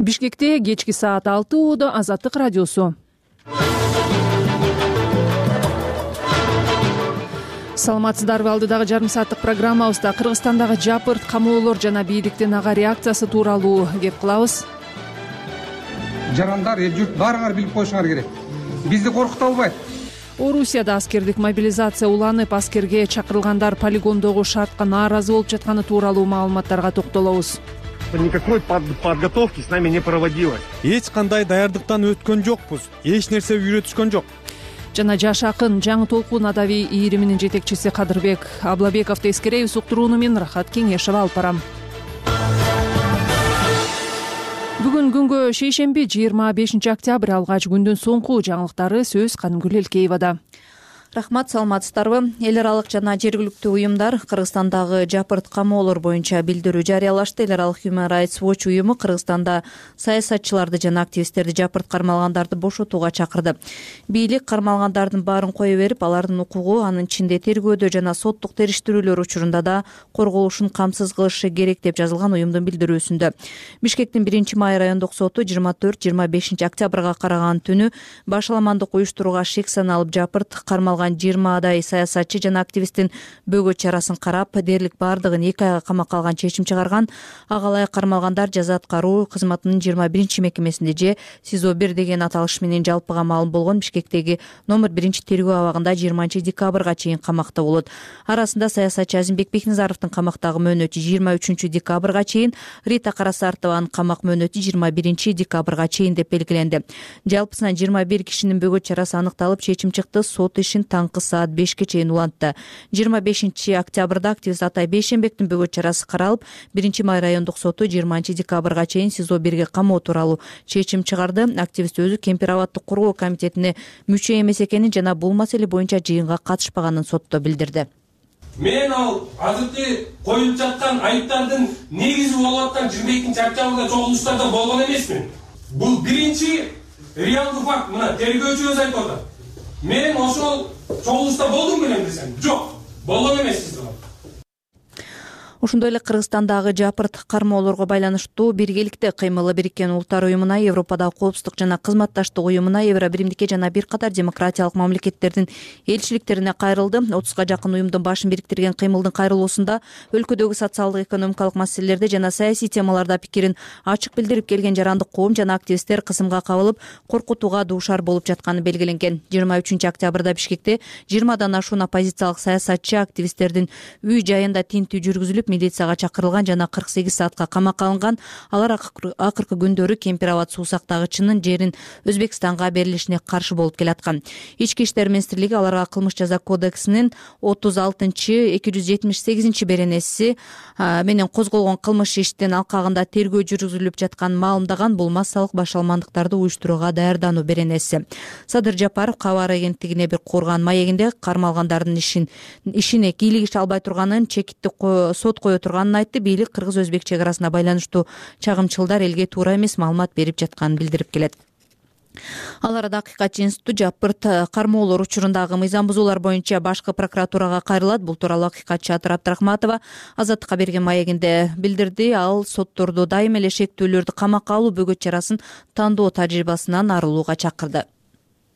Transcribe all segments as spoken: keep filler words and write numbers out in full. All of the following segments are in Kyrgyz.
Бишкекте кечки саат алты ууда Азаттык радиосу. Саламатсыздарбы? Алдыдагы жарым сааттык программабызда Кыргызстандагы жапырт камоолор жана бийликтин ага реакциясы тууралуу кеп кылабыз. Жарандар, эл журт баарыңар билип коюшуңар керек. Бизди коркута албайт. Орусияда аскердик мобилизация уланып, аскерге чакырылгандар полигондогу шартка нааразы болуп жатканы тууралуу маалыматтарга токтолобуз. Никакой подготовки с нами не проводилось. Эч кандай даярдыктан өткөн жокпуз. Эч нерсе үйрөтүшкөн жок. Жана жаш акын Жаңы толкун адабий ийриминин жетекчиси Кадырбек Аблабековду эскеребиз. Уктурууну мен Рахат Кеңешева алып барам. Бүгүн күнгө шейшемби жыйырма бешинчи октябрь алгач күндүн соңку жаңылыктары сөз Канымгүл Элкеевада. Рахмат, саламатсыздарбы? Эл аралык жана жергиликтүү уюмдар Кыргызстандагы жапырт камоолор боюнча билдирүү жарыялашты. Эл аралык Human Rights Watch уюму Кыргызстанда саясатчыларды жана активисттерди жапырт кармалгандарды бошотууга чакырды. Бийлик кармалгандардын баарын кое берип, алардын укугу, анын ичинде тергөөдө жана соттук териштирүүлөр учурунда да корголушун камсыз кылышы керек деп жазылган уюмдун билдирүүсүндө. Бишкектин биринчи май райондук соту жыйырма төрт жыйырма бешинчи октябрга караган түнү башаламандык уюштурууга шек саналып жапырт кармалган жыйырмадай саясатчы жана активисттин бөгөт чарасын карап, дээрлик баардыгын эки айга камакка алган чечим чыгарган. Ага ылайык кармалгандар жаза аткаруу кызматынын жыйырма биринчи мекемесинде же СИЗО бир деген аталыш менен жалпыга маалым болгон Бишкектеги номер биринчи тергөө абагында жыйырманчы декабрга чейин камакта болот. Арасында саясатчы Азимбек Бекназаровдун камактагы мөөнөтү жыйырма үчүнчү декабрга чейин, Рита Карасартованын камак мөөнөтү жыйырма биринчи декабрга чейин деп белгиленди. Жалпысынан жыйырма бир кишинин бөгөт чарасы аныкталып, чечим чыкты. Сот ишин таңкы саат бешке чейин улантты. жыйырма бешинчи октябрда активист Атай Бейшенбектин бөгөт чарасы каралып, биринчи май райондук соту жыйырманчы декабрга чейин СИЗО бирге камоо тууралуу чечим чыгарды. Активист өзү Кемпир абаддык коргоо комитетине мүчө эмес экенин жана бул маселе боюнча жыйынга катышпаганын сотто билдирди. Мен ал азыркы коюлуп жаткан айыптардын негизи болуп аткан жыйырма экинчи октябрда чогулуштарда болгон эмесмин. Бул биринчи реалдуу факт. Мына тергөөчүбүз айтып атат. Мен ошол чогулушта болдум белем десем, жок, болгон эмессиз. Ошондой эле Кыргызстандагы жапырт кармоолорго байланыштуу биргеликте кыймылы Бириккен Улуттар уюмуна, Европадагы коопсуздук жана кызматташтык уюмуна, Евробиримдикке жана бир катар демократиялык мамлекеттердин элчиликтерине кайрылды. отузга жакын уюмдун башын бириктирген кыймылдын кайрылуусунда өлкөдөгү социалдык экономикалык маселелерде жана саясий темаларда пикирин ачык билдирип келген жарандык коом жана активисттер кысымга кабылып, коркутууга дуушар болуп жатканы белгиленген. жыйырма үчүнчү октябрда Бишкекте жыйырмадан ашуун оппозициялык саясатчы активисттердин үй жайында тинтүү жүргүзүлүп, милицияга чакырылган жана кырк сегиз саатка камакка алынган. Алар акыркы күндөрү Кемпир абад суу сактагычынын жерин Өзбекстанга берилишине каршы болуп келаткан. Ички иштер министрлиги аларга кылмыш жаза кодексинин отуз алтынчы эки жүз жетимиш сегизинчи беренеси менен козголгон кылмыш иштин алкагында тергөө жүргүзүлүп жатканын маалымдаган. Бул массалык башаламандыктарды уюштурууга даярдануу беренеси. Садыр Жапаров кабар агенттигине бир курган маегинде кармалгандардын ишин ишине кийлик иш албай турганын, чекиттик сот кое турганын айтты. Бийлик кыргыз-өзбек чек арасына байланыштуу чагымчылдар элге туура эмес маалымат берип жатканын билдирип келет. Ал арада Акыйкатчы институту жапырт кармоолор учурундагы мыйзам бузуулар боюнча башкы прокуратурага кайрылат. Бул тууралуу Акыйкатчы Атыр Абдрахматова Азаттыкка берген маегинде билдирди. Ал сотторду дайыма эле шектүүлөрдү камакка алуу бөгөт чарасын тандоо тажрыйбасынан арылууга чакырды.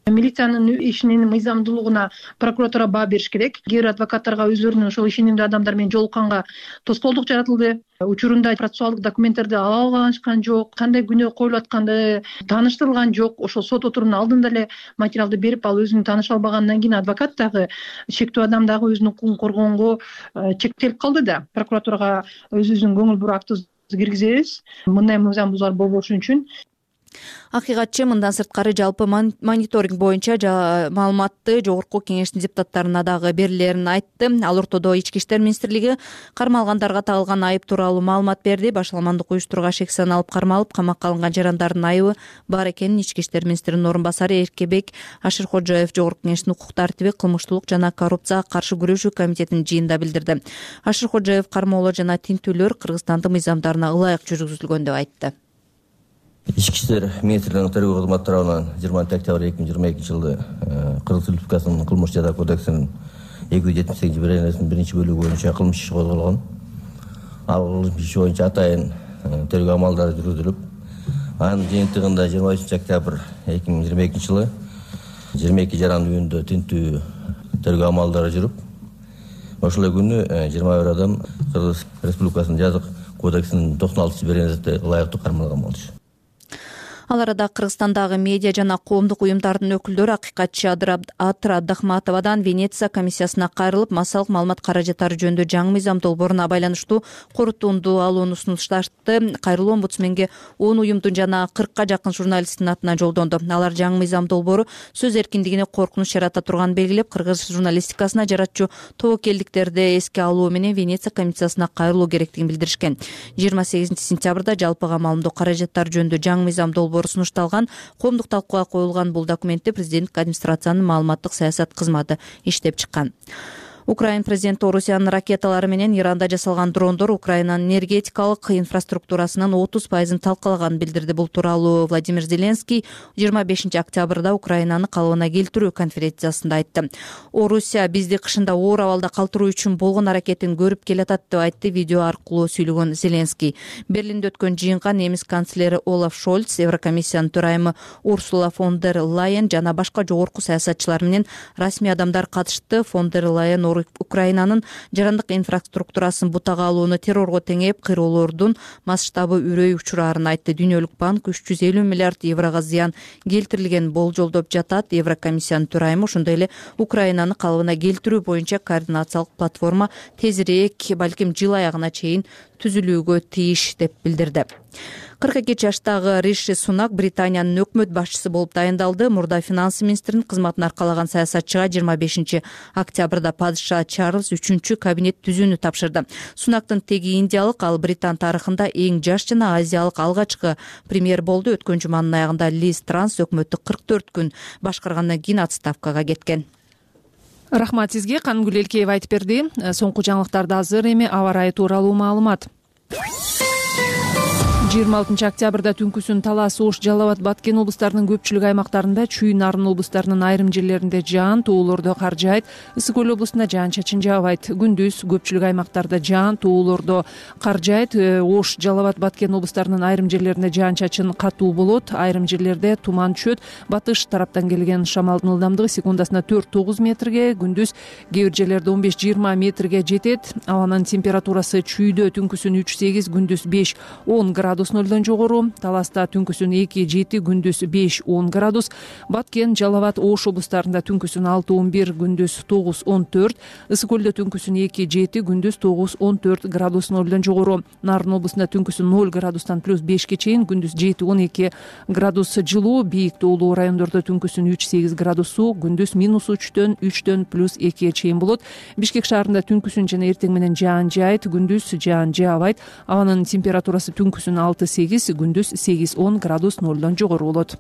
Милициянын ишинин мыйзамдуулугуна прокуратура баа бериш керек. Кээ бир адвокаттарга өздөрүнүн ошол ишенимдүү адамдар менен жолукканга тоскоолдук жаратылды. Учурунда процессуалдык документтерди ала алышкан жок, кандай күнөө коюлуп атканды тааныштырылган жок. Ошол сот отурумунун алдында эле материалды берип, ал өзүн тааныша албагандан кийин адвокат дагы, шектүү адам дагы өзүнүн укугун коргогонго чектелип калды да. Прокуратурага өзүбүздүн көңүл буруу актыбызды киргизебиз. Мындай мыйзам бузуулар болбошу үчүн. Акыйкатчы мындан сырткары жалпы мониторинг боюнча маалыматты жогорку кеңештин депутаттарына дагы берилерин айтты. Ал ортодо Ички иштер министрлиги кармалгандарга тагылган айып тууралуу маалымат берди. Башаламандык уюштурууга шек саналып кармалып, камакка алынган жарандардын айыбы бар экенин Ички иштер министринин орун басары Эркебек Ашыркожоев жогорку кеңештин укук тартиби, кылмыштуулук жана коррупцияга каршы күрөшүү комитетинин жыйынында билдирди. Ашыркожоев кармоолор жана тинтүүлөр Кыргызстандын мыйзамдарына ылайык жүргүзүлгөн деп айтты. Ички иштер министрлигинин тергөө кызматы тарабынан жыйырманчы октябрь эки миң жыйырма экинчи жылы Кыргыз Республикасынын кылмыш жаза кодексинин эки жүз жетимиш сегизинчи беренесинин биринчи бөлүгү боюнча кылмыш иши козголгон. Ал кылмыш иши боюнча атайын тергөө амалдары жүргүзүлүп, Анын жыйынтыгында жыйырма үчүнчү октябрь эки миң жыйырма экинчи жылы жыйырма эки жаран үйүндө тинтүү тергөө амалдары жүрүп, ошол күнү жыйырма бир адам Кыргыз Республикасынын жазык кодексинин токсон алтынчы беренесинде ылайыктуу кармалган болчу. Ал арада Кыргызстандагы медиа жана коомдук уюмдардын өкүлдөрү акыйкатчы Атыр Абдахматовадан Венеция комиссиясына кайрылып, массалык маалымат каражаттары жөнүндө жаңы мыйзам долбооруна байланыштуу корутунду алууну сунушташты. Кайрылуу омбудсменге он уюмдун жана кыркка жакын журналисттин атынан жолдонду. Алар жаңы мыйзам долбоору сөз эркиндигине коркунуч жарата турганын белгилеп, кыргыз журналистикасына жаратчу тобокелдиктерди эске алуу менен Венеция комиссиясына кайрылуу керектигин билдиришкен. жыйырма сегизинчи сентябрда жалпыга маалымдоо каражаттары жөнүндө жаңы мыйзам долбоору сунушталган. Коомдук талкууга коюлган бул документти президенттик администрациянын маалыматтык саясат кызматы иштеп чыккан. Украин президенти Орусиянын ракеталары менен Иранда жасалган дрондор Украинанын энергетикалык инфраструктурасынын отуз пайызын талкалаганын билдирди. Бул тууралуу Владимир Зеленский жыйырма бешинчи октябрда Украинаны калыбына келтирүү конференциясында айтты. Орусия бизди кышында оор абалда калтыруу үчүн болгон аракетин көрүп келатат деп айтты видео аркылуу сүйлөгөн Зеленский. Берлинде өткөн жыйынга немис канцлери Олаф Шольц, Еврокомиссиянын төрайымы Урсула фон дер Лайен жана башка жогорку саясатчылар менен расмий адамдар катышты. Фон дер Лайен Украинанын жарандык инфраструктурасын бутага алууну террорго теңеп, кыйроолордун масштабы үрөй учурарын айтты. Дүйнөлүк банк үч жүз элүү миллиард еврого зыян келтирилген болжолдоп жатат. Еврокомиссиянын төрайымы ошондой эле Украинаны калыбына келтирүү боюнча координациялык платформа тезирээк, балким жыл аягына чейин түзүлүүгө тийиш деп билдирди. кырк эки жаштагы Риши Сунак Британиянын өкмөт башчысы болуп дайындалды. Мурда финанс министринин кызматын аркалаган саясатчыга жыйырма бешинчи октябрда падыша Чарльз үчүнчү кабинет түзүүнү тапшырды. Сунактын теги индиялык, ал Британ тарыхында эң жаш жана азиялык алгачкы премьер болду. Өткөн жуманын аягында Лиз Транс өкмөттү кырк төрт күн башкаргандан кийин отставкага кеткен. Рахмат сизге. Кангүл Элкеева айтып берди. Соңку жаңылыктарда азыр эми аба ырайы тууралуу маалымат. жыйырма алтынчы октябрда түнкүсүн Талас, Ош, Жалал Абад, Баткен облустарынын көпчүлүк аймактарында, Чүй, Нарын облустарынын айрым жерлеринде жаан, тоолордо кар жаайт. Ысык Көл облусунда жаан-чачын жаабайт. Күндүз көпчүлүк аймактарда жаан, тоолордо кар жаайт. Ош, Жалал Абад, Баткен облустарынын айрым жерлеринде жаан-чачын катуу болот. Айрым жерлерде туман түшөт. Батыш тараптан келген шамалдын ылдамдыгы секундасына төрт тогуз метрге, күндүз кээ бир жерлерде он беш жыйырма метрге жетет. Абанын температурасы Чүйдө түнкүсүн үч сегиз, күндүз беш он градус нөлдөн жогору. Таласта түнкүсүн эки жети, күндүз беш он градус. Баткен, Жалал Абад, Ош облустарында түнкүсүн алты он бир, күндүз тогуз он төрт. Ысык Көлдө түнкүсүн эки жети, күндүз тогуз он төрт градус нөлдөн жогору. Нарын облусунда түнкүсүн ноль градустан плюс бешке чейин, күндүз жети он эки градус жылуу. Бийик тоолуу райондордо түнкүсүн үч сегиз градус суук, күндүз минус үчтөн үчтөн плюс экиге чейин болот. Бишкек шаарында түнкүсүн жана эртең менен жаан жаайт, күндүз жаан жаабайт. Абанын температурасы түнкүсүн алты сегиз, күндүз сегиз он градус нөлдөн жогору болот.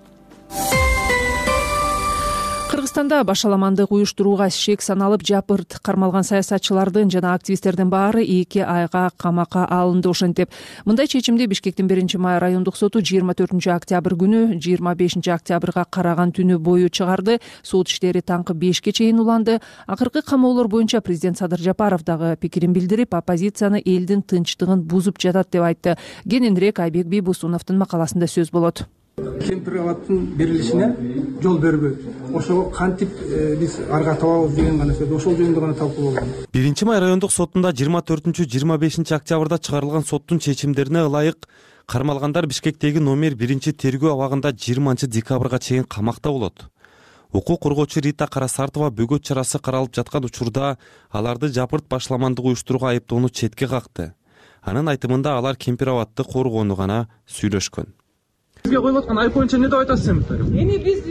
Кыргызстанда башаламандык уюштурууга шек саналып жапырт кармалган саясатчылардын жана активисттердин баары эки айга камакка алынды. Ошентип, мындай чечимди Бишкектин биринчи май райондук соту жыйырма төртүнчү октябрь күнү жыйырма бешинчи октябрга караган түнү бою чыгарды. Сот иштери таңкы бешке чейин уланды. Акыркы камоолор боюнча президент Садыр Жапаров дагы пикирин билдирип, оппозицияны элдин тынчтыгын бузуп жатат деп айтты. Кененирээк Айбек Бийбусуновдун макаласында сөз болот. Кемпир абадтын берилишине жол бербөө. Ошого кантип биз арга табабыз деген гана сөз. Ошол жөнүндө гана талкуу болгон. биринчи май райондук сотунда жыйырма төртүнчү жыйырма бешинчи октябрда чыгарылган соттун чечимдерине ылайык кармалгандар Бишкектеги номер биринчи тергөө абагында жыйырманчы декабрга чейин камакта болот. Укук коргоочу Рита Карасартова бөгөт чарасы каралып жаткан учурда аларды жапырт башаламандык уюштурууга айыптоону четке какты. Анын айтымында алар Кемпир абадты коргоону гана сүйлөшкөн. Бизге коюлуп аткан айып боюнча эмне деп айтасыз эми? Эми биз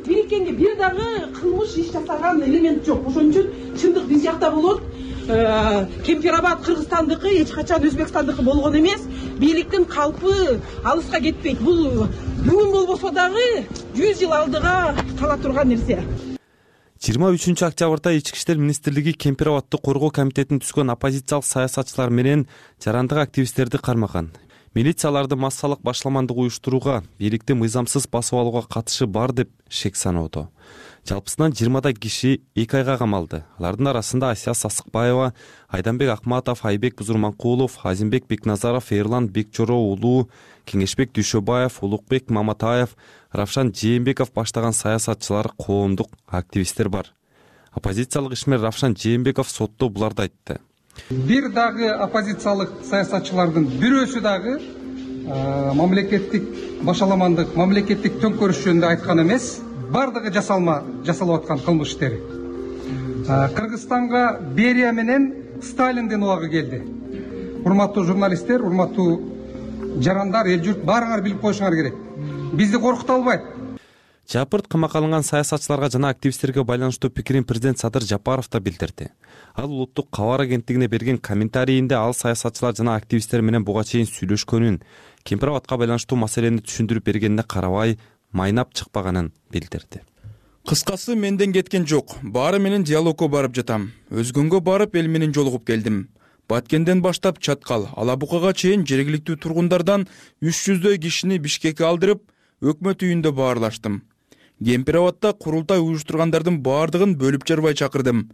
бириккенге бир дагы кылмыш иш жасаган элемент жок. Ошон үчүн чындык биз жакта болот. Кемпир абад Кыргызстандыкы, эч качан Өзбекстандыкы болгон эмес. Бийликтин калпы алыска кетпейт. Бул бүгүн болбосо дагы жүз жыл алдыга кала турган нерсе. жыйырма үчүнчү октябрда Ички иштер министрлиги Кемпир абадты коргоо комитетине түшкөн оппозициялык саясатчылар менен жарандык активисттерди кармаган. милицияларды массалык башаламандык уюштурууга, бийликти мыйзамсыз басып алууга катышы бар деп шек саноодо. Жалпысынан жыйырмадай киши эки айга камалды. Алардын арасында Асия Сасыкбаева, Айданбек Акматов, Айбек Бузурманкулов, Азимбек Бекназаров, Эрлан Бекчоро уулу, Кеңешбек Дүйшөбаев, Улукбек Маматаев, Равшан Жээнбеков баштаган саясатчылар, коомдук активисттер бар. Оппозициялык ишмер Равшан Жээнбеков сотто буларды айтты. Бир дагы оппозициялык саясатчылардын бирөөсү дагы мамлекеттик башаламандык, мамлекеттик төңкөрүш жөнүндө айткан эмес. Бардыгы жасалма жасалып аткан кылмыш иштери. Кыргызстанга Берия менен Сталиндин убагы келди. Урматтуу журналисттер, урматтуу жарандар, эл журт баарыңар билип коюшуңар керек. Бизди коркута албайт. Жапырт камакка алынган саясатчыларга жана активисттерге байланыштуу пикирин президент Садыр Жапаров да билдирди. Ал улуттук кабар агенттигине берген комментарийинде ал саясатчылар жана активисттер менен буга чейин сүйлөшкөнүн, Кемпирабадка байланыштуу маселени түшүндүрүп бергенине карабай майнап чыкпаганын билдирди. Кыскасы менден кеткен жок. Баары менен диалогко барып жатам. Өзгөнгө барып эл менен жолугуп келдим. Баткенден баштап Чаткал, Алабукага чейин жергиликтүү тургундардан үч жүздөй кишини Бишкекке алдырып, өкмөт үйүндө баарлаштым. Кемпирабадта курултай уюштургандардын баардыгын бөлүп жарбай чакырдым.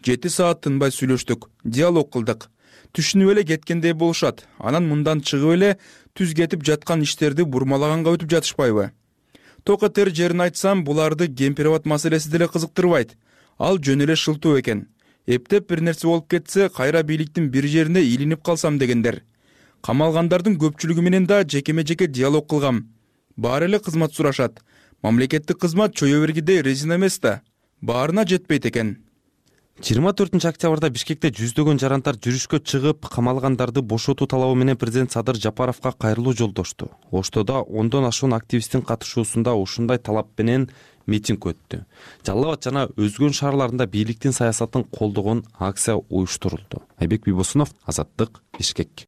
жети саат тынбай сүйлөштүк, диалог кылдык. Түшүнүп эле кеткендей болушат. Анан мындан чыгып эле түз кетип жаткан иштерди бурмалаганга өтүп жатышпайбы? Токотер жерин айтсам, буларды Кемпирабад маселеси деле кызыктырбайт. Ал жөн эле шылтоо экен. Эптеп бир нерсе болуп кетсе, кайра бийликтин бир жерине илинип калсам дегендер. Камалгандардын көпчүлүгү менен да жекеме-жеке диалог кылгам. Баары эле кызмат сурашат. Мамлекеттик кызмат чое бергидей резина эмес да. Баарына жетпейт экен. жыйырма төртүнчү октябрда Бишкекте жүздөгөн жарандар жүрүшкө чыгып, камалгандарды бошотуу талабы менен президент Садыр Жапаровго кайрылуу жолдошту. Оштодо ондон ашуун активисттин катышуусунда ушундай талап менен митинг өттү. Жалал Абад жана өзгөн шаарларында бийликтин саясатын колдогон акция уюштурулду. Айбек Бибосунов, Азаттык, Бишкек.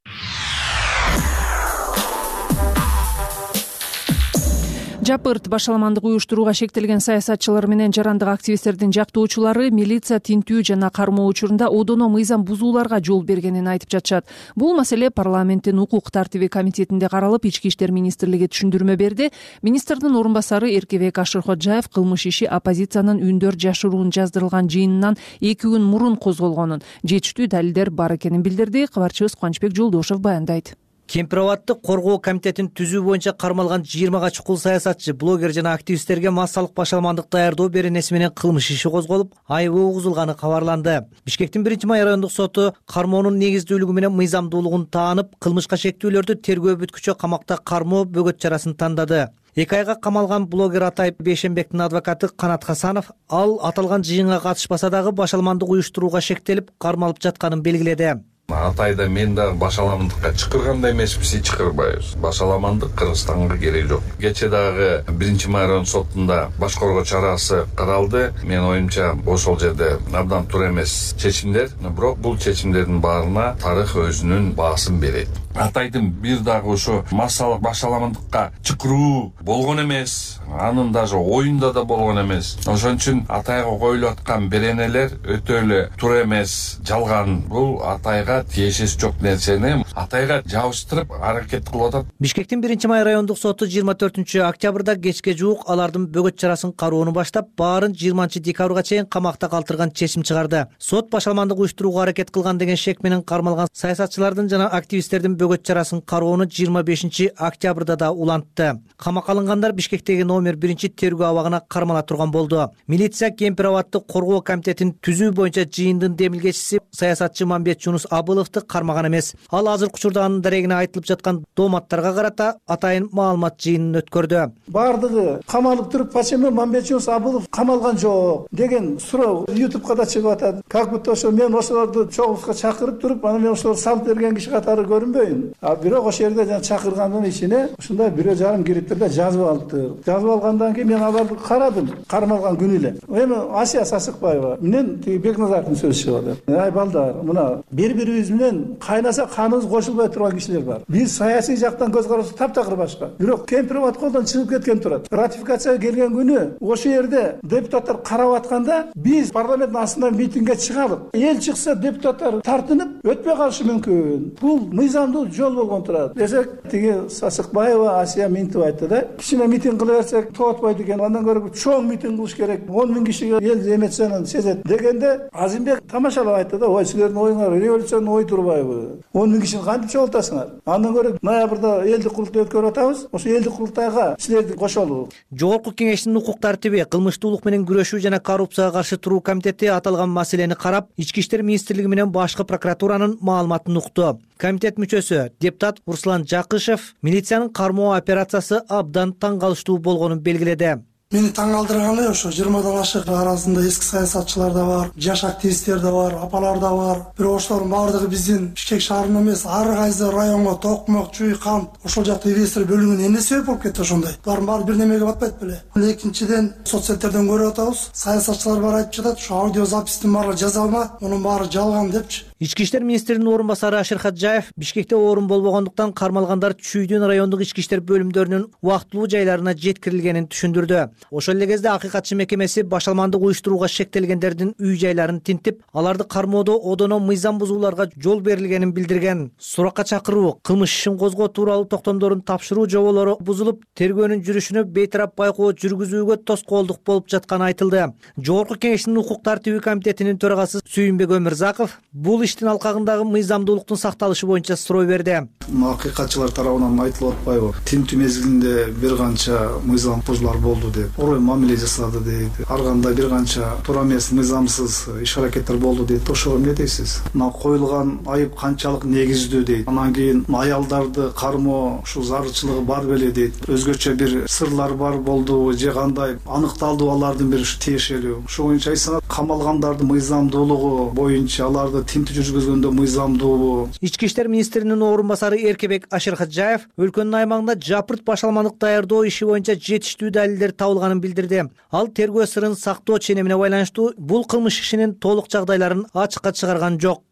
Жапырт башаламандык уюштурууга шектелген саясатчылар менен жарандык активисттердин жактоочулары милиция тинтүү жана кармоо учурунда одоно мыйзам бузууларга жол бергенин айтып жатышат. Бул маселе парламенттин укук тартиби комитетинде каралып, Ички иштер министрлиги түшүндүрмө берди. Министрдин орун басары Эркебек Ашыркожаев кылмыш иши оппозициянын үндөр жашыруун жаздырылган жыйынынан эки күн мурун козголгонун, жетиштүү далилдер бар экенин билдирди. Кабарчыбыз Кубанычбек Жолдошев баяндайт. Кемпирабадты коргоо комитетин түзүү боюнча кармалган жыйырмага чукул саясатчы, блогер жана активисттерге массалык башаламандык даярдоо беренеси менен кылмыш иши козголуп, айыбы угузулганы кабарланды. Бишкектин биринчи май райондук соту кармоонун негиздүүлүгү менен мыйзамдуулугун таанып, кылмышка шектүүлөрдү тергөө бүткүчө камакта кармоо бөгөт чарасын тандады. Эки айга камалган блогер Атай Бейшенбектин адвокаты Канат Хасанов ал аталган жыйынга катышпаса дагы башаламандык уюштурууга шектелип, кармалып жатканын белгиледи. Атайда мен да башаламандыкка чакыргандай эмеспиз, чакырбайбыз. Башаламандык Кыргызстанга кереги жок. Кече дагы биринчи май район сотунда баш коргоо чарасы каралды. Мен оюмча ошол жерде абдан туура эмес чечимдер, бирок бул чечимдердин баарына тарых өзүнүн баасын берет. Атайдын бир дагы ошо массалык башаламандыкка чакыруу болгон эмес, анын даже оюнда да болгон эмес. Ошон үчүн Атайга коюлуп аткан беренелер өтө эле туура эмес, жалган. Бул Атайга тиешеси жок нерсени Атайга жабыштырып аракет кылып атат. Бишкектин биринчи май райондук соту жыйырма төртүнчү октябрда кечке жуук алардын бөгөт чарасын кароону баштап, баарын жыйырманчы декабрга чейин камакта калтырган чечим чыгарды. Сот башаламандык уюштурууга аракет кылган деген шек менен кармалган саясатчылардын жана активисттердин бөгөт чарасын кароону жыйырма бешинчи октябрда да улантты. Камакка алынгандар Бишкектеги номер биринчи тергөө абагына кармала турган болду. Милиция Кемпирабадты коргоо комитетин түзүү боюнча жыйындын демилгечиси саясатчы Мамбет Жунус Абыловду кармаган эмес. Ал азыркы учурда анын дарегине айтылып жаткан дооматтарга карата атайын маалымат жыйынын өткөрдү. Бардыгы камалып туруп, почему Мамбет Жунус Абылов камалган жок деген суроо ютубка да чыгып атат. Как будто ошо мен ошолорду чогулушка чакырып туруп, анан мен ошолорду салып берген киши катары көрүнбөйүн. А бирок ошол жерде жана чакыргандын ичине ушундай бирөө жарым кириптирде жазып алыпты. Жазып алгандан кийин мен аларды карадым, кармалган күнү эле. Эми Асия Сасыкбаева менен тиги Бекназаровдун сөзү чыгып атат. Ай балдар, мына бири-бирибиз менен кайнаса каныбыз кошулбай турган кишилер бар. Биз саясий жактан көз кароосу таптакыр башка. Бирок Кемпирабад камат колдон чыгып кеткен турат. Ратификацияга келген күнү ошол жерде депутаттар карап атканда биз парламенттин астынан митингге чыгалып, эл чыкса депутаттар тартынып өтпөй калышы мүмкүн. Бул мыйзамдуу жол болгон турат десек, тиги Сасыкбаева Асия Минтова айтты да, кичине митинг кыла берсек тоотпойт экен, андан көрө чоң митинг кылыш керек, он миң кишиге эл эмоцияны сезет дегенде, Азимбек тамашалап айтты да, ой силердин оюңар революционный ой турбайбы? он миң кишини кантип чогултасыңар? Андан көрө ноябрда элдик курултай өткөрүп атабыз, ошо элдик курултайга силерди кошолу. Жогорку кеңештин укук тартиби, кылмыштуулук менен күрөшүү жана коррупцияга каршы туруу комитети аталган маселени карап, Ички иштер министрлиги менен башкы прокуратуранын маалыматын укту. Комитет мүчөсү депутат Руслан Жакышев милициянын кармоо операциясы абдан таң калыштуу болгонун белгиледи. Мени таң калтырганы ошо жыйырмадан ашык арасында эски саясатчылар да бар, жаш активисттер да бар, апалар да бар. Бирок ошолордун баардыгы биздин Бишкек шаарынан эмес, ар кайсы районго токмок, чүй, кант, ошол жакта инвестор бөлүнгөнү эмне себеп болуп кетти ошондой? Булардын баары бир немеге батпайт беле? Экинчиден, соцсеттерден көрүп атабыз, саясатчылар бар айтып жатат, ошо аудио запистин баары жаза алма, мунун баары жалган депчи. Ички иштер министринин орун басары Ашир Хаджаев Бишкекте орун болбогондуктан кармалгандар Чүйдүн райондук ички иштер бөлүмдөрүнүн убактылуу жайларына жеткирилгенин түшүндүрдү. Ошол эле кезде акыйкатчы мекемеси башалмандык уюштурууга шектелгендердин үй жайларын тинтип, аларды кармоодо одоно мыйзам бузууларга жол берилгенин билдирген. Суракка чакыруу, кылмыш ишин козгоо тууралуу токтомдорун тапшыруу жоболору бузулуп, тергөөнүн жүрүшүнө бейтарап байкоо жүргүзүүгө тоскоолдук болуп жатканы айтылды. Жогорку кеңештин укук тартиби комитетинин төрагасы Сүйүнбек Өмүрзаков бул иштин алкагындагы мыйзамдуулуктун сакталышы боюнча суроо берди. Акыйкатчылар тарабынан айтылып атпайбы? Тинтүү мезгилинде бир канча мыйзам бузуулар болду деп, орой мамиле жасады дейт. Ар кандай бир канча туура эмес мыйзамсыз иш аракеттер болду дейт. Ошого эмне дейсиз? Мына коюлган айып канчалык негиздүү дейт. Анан кийин аялдарды кармоо ушул зарылчылыгы бар беле дейт. Өзгөчө бир сырлар бар болдубу же кандай аныкталды алардын бир тиешелүү. Ошо боюнча айтсаңар, камалгандардын мыйзамдуулугу боюнча аларды тинтүү жүргүзгөндө мыйзамдуубу? Ички иштер министринин орун басары Эркебек Ашир Хаджаев өлкөнүн аймагында жапырт башалмандык даярдоо иши боюнча жетиштүү далилдер табылганын билдирди. Ал тергөө сырын сактоо ченемине байланыштуу бул кылмыш ишинин толук жагдайларын ачыкка чыгарган жок.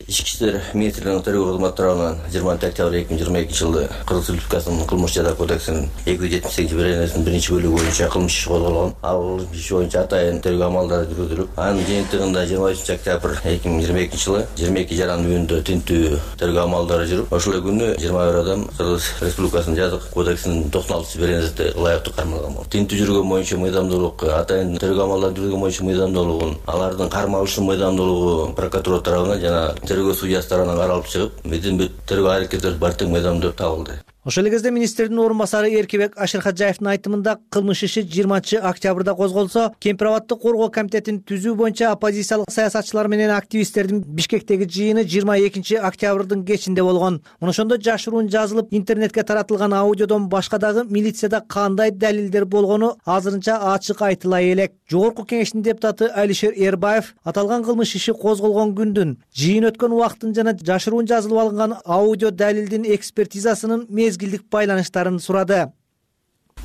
Ички иштер министрлигинин тергөө кызматы тарабынан жыйырма алтынчы октябрь эки миң жыйырма экинчи жылы Кыргыз Республикасынын кылмыш жаза кодексинин эки жүз жетимиш сегизинчи беренесинин биринчи бөлүгү боюнча кылмыш иши козголгон. Ал иш боюнча атайын тергөө амалдары жүргүзүлүп, анын жыйынтыгында жыйырма үчүнчү октябрь эки миң жыйырма экинчи жылы жыйырма эки жаран үйүндө тинтүү тергөө амалдары жүрүп, ошол күнү жыйырма бир адам Кыргыз Республикасынын жаза кодексинин токсон алтынчы беренесине ылайыктуу кармалган болду. Тинтүү жүргөн боюнча мыйзамдуулук, атайын тергөө амалдары жүргөн боюнча мыйзамдуулугун, алардын кармалышынын мыйзамдуулугу прокуратура тарабынан жана тергөө судьясы тарабынан каралып чыгып, биздин бүт тергөө аракеттери бар тең мыйзамдуу табылды. Ошол эле кезде министрдин орун басары Эркебек Ашир Хаджаевдин айтымында кылмыш иши жыйырманчы октябрда козголсо, Кемпир абадты коргоо комитетин түзүү боюнча оппозициялык саясатчылар менен активисттердин Бишкектеги жыйыны жыйырма экинчи октябрдын кечинде болгон. Ошондо жашыруун жазылып, интернетке таратылган аудиодон башка дагы милицияда кандай далилдер болгону азырынча ачык айтылай элек. Жогорку кеңештин депутаты Алишер Эрбаев аталган кылмыш иши козголгон күндүн, жыйын өткөн убакыттын жана жашыруун жазылып алынган аудио далилдин экспертизасынын мезгилдик байланыштарын сурады.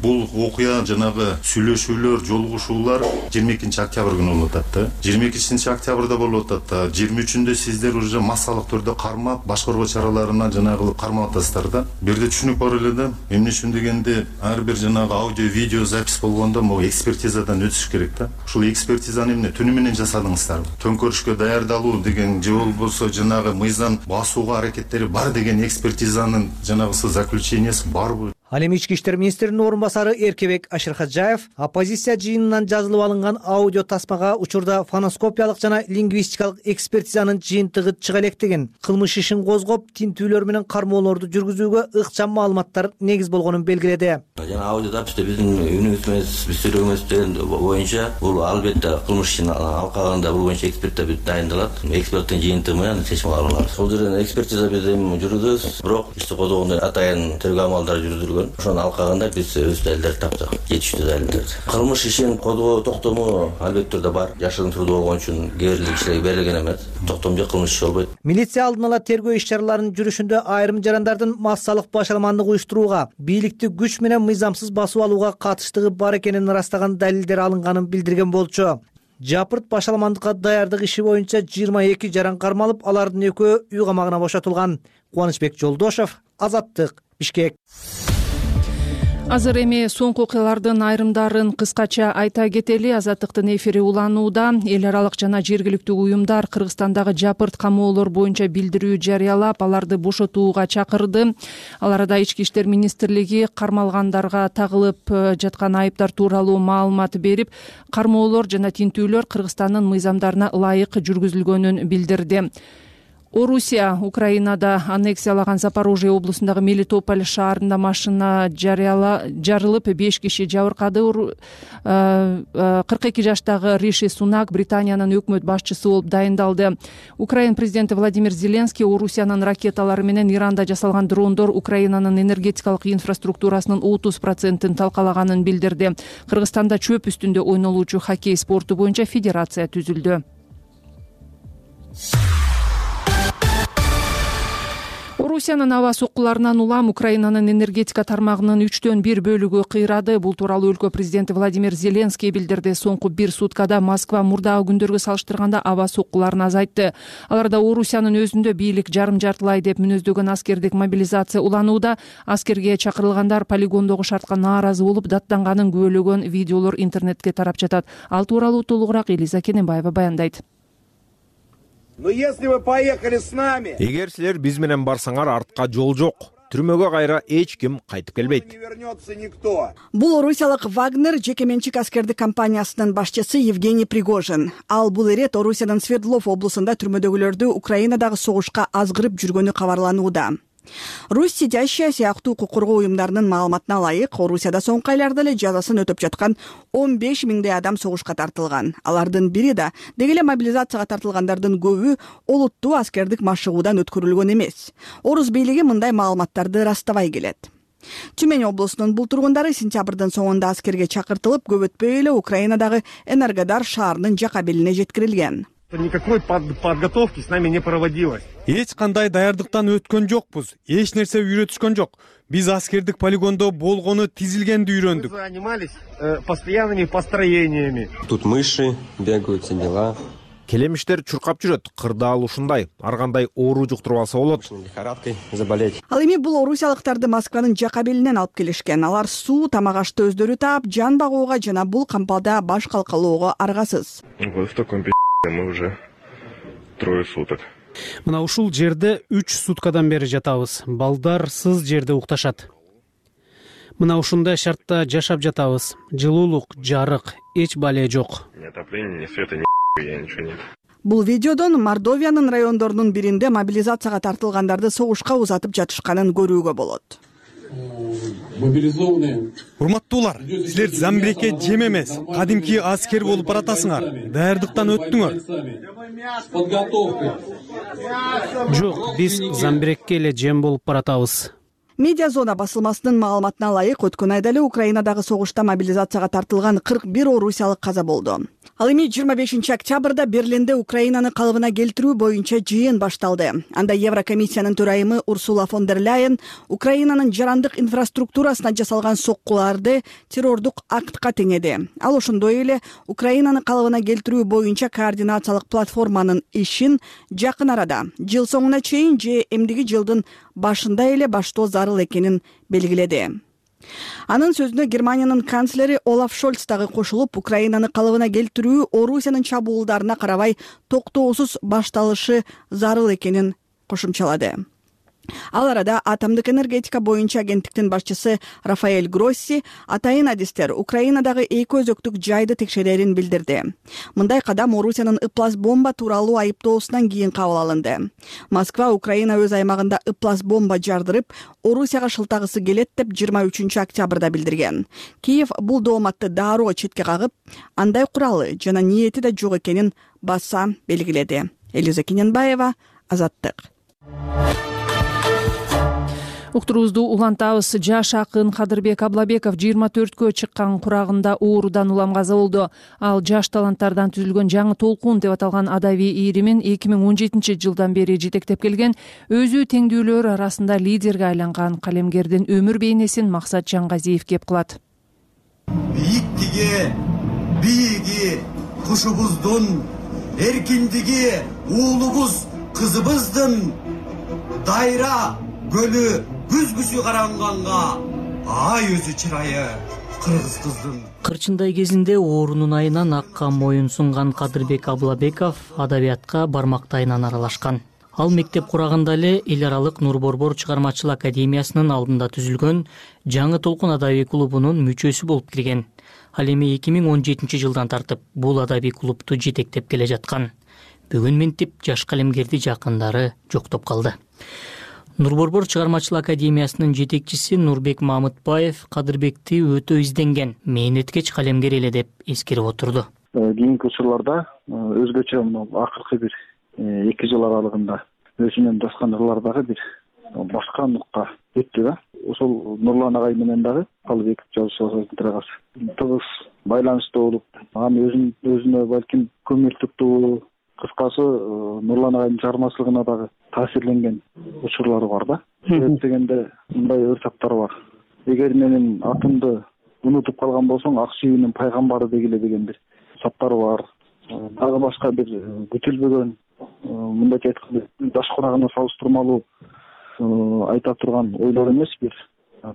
Бул окуя жанагы сүйлөшүүлөр, жолугушуулар жыйырма экинчи октябрь күнү болуп атат да. жыйырма экинчи октябрда болуп атат да. жыйырма үчүндө сиздер уже массалык түрдө кармап, баш коргоо чараларына жанагы кармап атасыздар да. Бул жерде түшүнүк бар эле да. Эмне үчүн дегенде, ар бир жанагы аудио, видео запись болгондо могу экспертизадан өтүш керек да. Ушул экспертизаны эмне түнү менен жасадыңыздарбы? Төңкөрүшкө даярдалуу деген же болбосо жанагы мыйзам басууга аракеттери бар деген экспертизанын жанагысы заключениясы барбы? Ал эми ички иштер министринин орун басары Эркебек Ашир Хаджаев оппозиция жыйынынан жазылып алынган аудио тасмага учурда фоноскопиялык жана лингвистикалык экспертизанын жыйынтыгы чыга электигин, кылмыш ишин козгоп, тинтүүлөр менен кармоолорду жүргүзүүгө ыкчам маалыматтар негиз болгонун белгиледи. Жана аудио записте биздин үнүбүз менен биз сүйлөгөнүбүз боюнча бул албетте кылмыш ишин алкагында бул боюнча эксперттер дайындалат. Эксперттин жыйынтыгы менен чечим кабыл алабыз. Бул жерден экспертиза биз эми жүргүзөбүз, бирок ишти козгондо атайын тергөө амалдары жүргүзүлгөн. Ошонун алкагында биз өз далилдерди таптык, жетиштүү далилдерди. Кылмыш ишин козгоо токтому албетте түрдө бар. Жашыруун түрдө болгон үчүн кээрлик кишилерге берилген эмес. Токтом жок, кылмыш иши болбойт. Милиция алдын ала тергөө иш чараларынын жүрүшүндө айрым жарандардын массалык башаламандык уюштурууга, бийликти күч менен мыйзамсыз басып алууга катыштыгы бар экенин ырастаган далилдер алынганын билдирген болчу. Жапырт башаламандыкка даярдык иши боюнча жыйырма эки жаран кармалып, алардын экөө үй камагына бошотулган. Кубанычбек Жолдошов, Азаттык, Бишкек. Азыр эми соңку окуялардын айрымдарын кыскача айта кетели. Азаттыктын эфири уланууда. Эл аралык жана жергиликтүү уюмдар Кыргызстандагы жапырт камоолор боюнча билдирүү жарыялап, аларды бошотууга чакырды. Ал арада Ички иштер министрлиги кармалгандарга тагылып жаткан айыптар тууралуу маалымат берип, кармоолор жана тинтүүлөр Кыргызстандын мыйзамдарына ылайык жүргүзүлгөнүн билдирди. Орусия Украинада аннексиялаган Запорожье облусундагы Мелитополь шаарында машина жарылып, беш киши жабыркады. кырк эки жаштагы Риши Сунак Британиянын өкмөт башчысы болуп дайындалды. Украин президенти Владимир Зеленский Орусиянын ракеталары менен Иранда жасалган дрондор Украинанын энергетикалык инфраструктурасынын отуз процентин талкалаганын билдирди. Кыргызстанда чөп үстүндө ойнолуучу хоккей спорту боюнча федерация түзүлдү. Орусиянын аба соккуларынан улам Украинанын энергетика тармагынын үчтөн бир бөлүгү кыйрады. Бул тууралуу өлкө президенти Владимир Зеленский билдирди. Соңку бир суткада Москва мурдагы күндөргө салыштырганда аба соккуларын азайтты. Аларда Орусиянын өзүндө бийлик жарым жартылай деп мүнөздөгөн аскердик мобилизация уланууда. Аскерге чакырылгандар полигондогу шартка нааразы болуп, даттанганын күбөлөгөн видеолор интернетке тарап жатат. Ал тууралуу толугураак Элиза Кененбаева баяндайт. Но если вы поехали с нами, эгер силер биз менен барсаңар, артка жол жок. Түрмөгө кайра эч ким кайтып келбейт. Бул орусиялык Вагнер жекеменчик аскердик компаниясынын башчысы Евгений Пригожин. Ал бул ирет Орусиянын Свердлов облусунда түрмөдөгүлөрдү Украинадагы согушка азгырып жүргөнү кабарланууда. Русь сидящая сыяктуу укук коргоо уюмдарынын маалыматына ылайык, Орусияда соңку айларда эле жазасын өтөп жаткан он беш миңдей адам согушка тартылган. Алардын бири да деги эле мобилизацияга тартылгандардын көбү олуттуу аскердик машыгуудан өткөрүлгөн эмес. Орус бийлиги мындай маалыматтарды растабай келет. Тюмень облусунун бул тургундары сентябрдын соңунда аскерге чакыртылып, көп өтпөй эле Украинадагы Энергодар шаарынын жака белине жеткирилген. Никакой подготовки с нами не проводилось. Эч кандай даярдыктан өткөн жокпуз. Эч нерсе үйрөтүшкөн жок. Биз аскердик полигондо болгону, тизилгенди үйрөндүк. Мы занимались э, постоянными построениями. Тут мыши бегают, все дела. Келемиштер чуркап жүрөт, кырдаал ушундай. Ар кандай оору жуктуруп алса болот. Лихорадкой заболеть. Ал эми бул орусиялыктарды Москванын жака белинен алып келишкен. Алар суу, тамак ашты өздөрү таап, жан багууга жана бул кампалда баш калкалоого аргасыз. Мы уже трое суток. Мына ушул жерде үч суткадан бери жатабыз. Балдар сыз жерде укташат. Мына ушундай шартта жашап жатабыз. Жылуулук, жарык, эч бале жок. Ни отопления, ни света, ни я ничего нет. Бул видеодон Мордовиянын райондорунун биринде мобилизацияга тартылгандарды согушка узатып жатышканын көрүүгө болот. Урматтуулар, силер Замбирекке жем эмес, кадимки аскер болуп баратасыңар. Даярдыктан өттүңөр. Жок, биз Замбирекке эле жем болуп баратабыз. Медиа зона басылмасынын маалыматына ылайык, өткөн айда эле Украинадагы согушта мобилизацияга тартылган кырк бир орусиялык каза болду. Ал эми жыйырма бешинчи октябрда Берлинде Украинаны калыбына келтирүү боюнча жыйын башталды. Анда Еврокомиссиянын төрайымы Урсула фон дер Ляйен Украинанын жарандык инфраструктурасына жасалган соккуларды террордук актка теңеди. Ал ошондой эле Украинаны калыбына келтирүү боюнча координациялык платформанын ишин жакын арада, жыл соңуна чейин же эмдиги жылдын башында эле баштоо зарыл экенин белгиледи. Анын сөзүнө Германиянын канцлери Олаф Шольц дагы кошулуп, Украинаны калыбына келтирүү Орусиянын чабуулдарына карабай токтоосуз башталышы зарыл экенин кошумчалады. Ал арада атомдук энергетика боюнча агенттиктин башчысы Рафаэль Гросси атайын адистер Украинадагы эки өзөктүк жайды текшерерин билдирди. Мындай кадам Орусиянын ыплас бомба тууралуу айыптоосунан кийин кабыл алынды. Москва Украина өз аймагында ыплас бомба жардырып, Орусияга шылтагысы келет деп жыйырма үчүнчү октябрда билдирген. Киев бул дооматты дароо четке кагып, андай куралы жана ниети да жок экенин баса белгиледи. Элиза Кененбаева, Азаттык. Уктуруубузду улантабыз. Жаш акын Кадырбек Аблабеков жыйырма төрткө чыккан курагында оорудан улам каза болду. Ал жаш таланттардан түзүлгөн жаңы толкун деп аталган адабий ийримин эки миң он жетинчи жылдан бери жетектеп келген, өзү теңдүүлөр арасында лидерге айланган калемгердин өмүр бейнесин Максат Жаңгазиев кеп кылат. Бийиктиги, бийиги, кушубуздун, эркиндиги, уулубуз, кызыбыздын дайра көлү күзгүсү каранганга ай өзү чырайы кыргыз кыздын. Кырчындай кезинде оорунун айынан акка моюн сунган Кадырбек Аблабеков адабиятка бармактайынан аралашкан. Ал мектеп кураганда эле эл аралык Нур Борбор чыгармачыл академиясынын алдында түзүлгөн Жаңы толкун адабий клубунун мүчөсү болуп кирген. Ал эми эки миң он жетинчи жылдан тартып бул адабий клубту жетектеп келе жаткан. Бүгүн ментип жаш калемгерди жакындары жоктоп калды. Нур Борбор чыгармачыл академиясынын жетекчиси Нурбек Мамытбаев Кадырбекти өтө изденген, мээнеткеч калемгер эле деп эскерип отурду. Кийинки учурларда өзгөчө акыркы бир эки жыл аралыгында өзүнөн жазган ырлардагы бир башка нукка өттү да. Ошол Нурлан агай менен дагы Калыбеков жазуучулар төрагасы тыгыз байланышта болуп, аны өзүн өзүнө балким көңүл туттуу, кыскасы Нурлан агайдын чыгармачылыгына дагы таасирленген учурлары бар да. Себеп дегенде мындай өр таптар бар. Эгер менин атымды унутуп калган болсоң, ак сүйүүнүн пайгамбары дегиле деген бир саптары бар. Дагы башка бир күтүлбөгөн, мындайча айтканда жаш курагына салыштырмалуу айта турган ойлор эмес, бир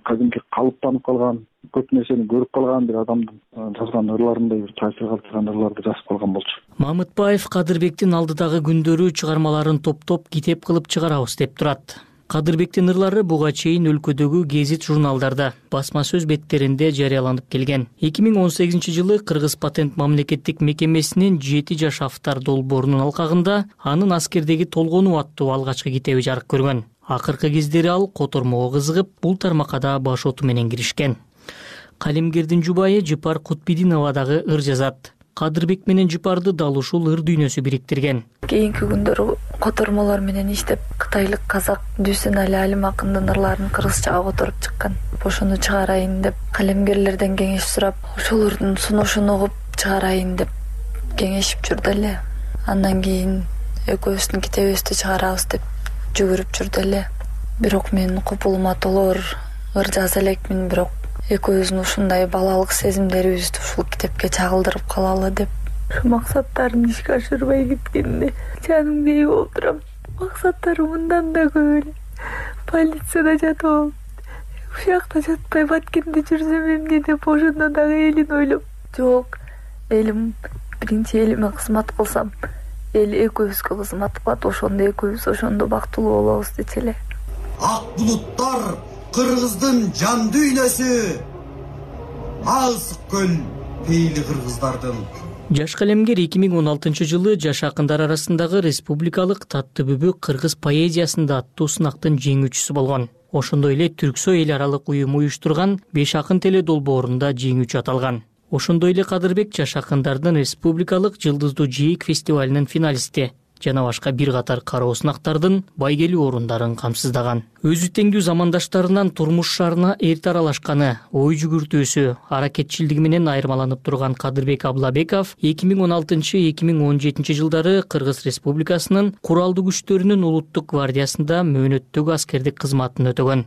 кадимки калыптанып калган, көп нерсени көрүп калган бир адамдын жазган ырларындай бир таасир калтырган ырларды жазып калган болчу. Мамытбаев Кадырбектин алдыдагы күндөрү чыгармаларын топтоп китеп кылып чыгарабыз деп турат. Кадырбектин ырлары буга чейин өлкөдөгү гезит журналдарда, басма сөз беттеринде жарыяланып келген. эки миң он сегизинчи жылы Кыргыз патент мамлекеттик мекемесинин жети жаш автор долбоорунун алкагында анын аскердеги толгонуу аттуу алгачкы китеби жарык көргөн. Акыркы кездери ал котормого кызыгып, бул тармакка да баш оту менен киришкен. Калемгердин жубайы Жыпар Кутбидинова дагы ыр жазат. Кадырбек менен Жыпарды дал ушул ыр дүйнөсү бириктирген. Кийинки күндөрү котормолор менен иштеп, кытайлык казак Дүйсен Али Алим акындын ырларын кыргызчага которуп чыккан. Ошону чыгарайын деп калемгерлерден кеңеш сурап, ошолордун сунушун угуп чыгарайын деп кеңешип жүрдү эле. Андан кийин экөөбүздүн китебибизди чыгарабыз деп жүгүрүп жүрдү эле. Бирок мен купулума толор ыр жаза элекмин, бирок экөөбүздүн ушундай балалык сезимдерибизди ушул китепке чагылдырып калалы деп максаттарын ишке ашырбай кеткенине жаным бей болуп турам. Максаттары мындан да көп эле. Полицияда жатып алып, ушакта жатпай Баткенде жүрсөм эмне деп ошондо дагы элин ойлоп, жок, элим биринчи элиме кызмат кылсам, эл экөөбүзгө кызмат кылат, ошондо экөөбүз ошондо бактылуу болобуз дечи эле. Ак булуттар кыргыздын жан дүйнөсү, алсык көл пейили кыргыздардын. Жаш калемгер эки миң он алтынчы жылы жаш акындар арасындагы республикалык Татты бүбүк кыргыз поэзиясында аттуу сынактын жеңүүчүсү болгон. Ошондой эле Түрксой эл аралык уюму уюштурган беш акын теле долбоорунда жеңүүчү аталган. Ошондой эле Кадырбек жаш акындардын республикалык Жылдыздуу жээк фестивалынын финалисти жана башка бир катар кароо сынактардын байгелүү орундарын камсыздаган. Өзү теңдүү замандаштарынан турмуш шаарына эрте аралашканы, ой жүгүртүүсү, аракетчилдиги менен айырмаланып турган Кадырбек Аблабеков эки миң он алтынчы — эки миң он жетинчи жылдары Кыргыз Республикасынын куралдуу күчтөрүнүн улуттук гвардиясында мөөнөттөгү аскердик кызматын өтөгөн.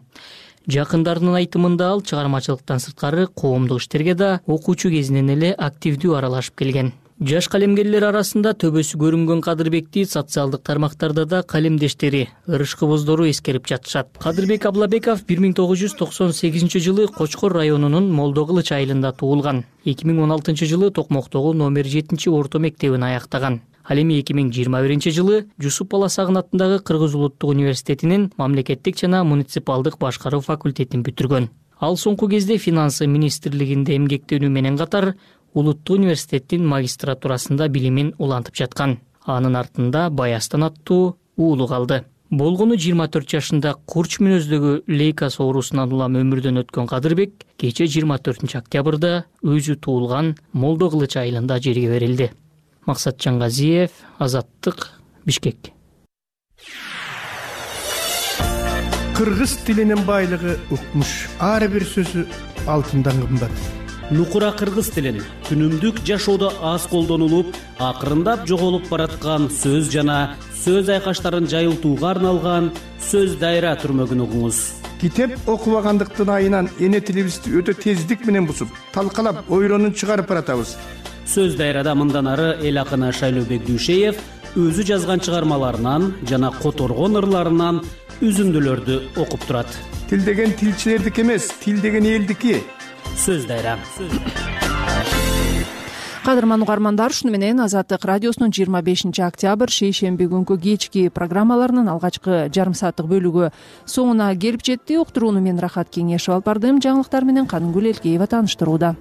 Жакындарынын айтымында ал чыгармачылыктан сырткары коомдук иштерге да окуучу кезинен эле активдүү аралашып келген. Жаш калемгерлер арасында төбөсү көрүнгөн Кадырбекти социалдык тармактарда да калемдештери, ырышкыбоздору эскерип жатышат. Кадырбек Аблабеков бир миң тогуз жүз токсон сегизинчи жылы Кочкор районунун Молдо Кылыч айылында туулган. эки миң он алтынчы жылы Токмоктогу номер жетинчи орто мектебин аяктаган. Ал эми эки миң жыйырма биринчи жылы Жусуп Баласагын атындагы Кыргыз улуттук университетинин мамлекеттик жана муниципалдык башкаруу факультетин бүтүргөн. Ал соңку кезде финансы министрлигинде эмгектенүү менен катар улуттук университеттин магистратурасында билимин улантып жаткан. Анын артында Баястан аттуу уулу калды. Болгону жыйырма төрт жашында курч мүнөздөгү лейкоз оорусунан улам өмүрдөн өткөн Кадырбек кече жыйырма төртүнчү октябрда өзү туулган Молдо Кылыч айылында жерге берилди. Максат Жангазиев, Азаттык, Бишкек. Кыргыз тилинин байлыгы укмуш. Ар бир сөзү алтындан кымбат. Нукура кыргыз тилин күнүмдүк жашоодо аз колдонулуп, акырындап жоголуп бараткан сөз жана сөз айкаштарын жайылтууга арналган сөз дайра түрмөгүн угуңуз. Китеп окубагандыктын айынан эне тилибизди өтө тездик менен бузуп, талкалап, ойлонуп чыгарып баратабыз. Сөз дайрада мындан ары эл акыны Шайлообек Дүйшеев өзү жазган чыгармаларынан жана которгон ырларынан үзүндүлөрдү окуп турат. Тил деген тилчилердики эмес, тил деген элдики. Сөз дайра. Кадырман угармандар, ушуну менен Азаттык радиосунун жыйырма бешинчи октябрь шейшемби күнкү кечки программаларынын алгачкы жарым сааттык бөлүгү соңуна келип жетти. Уктурууну мен Рахат Кеңешев алып бардым. Жаңылыктар менен Каныгүл Элкеева тааныштырууда.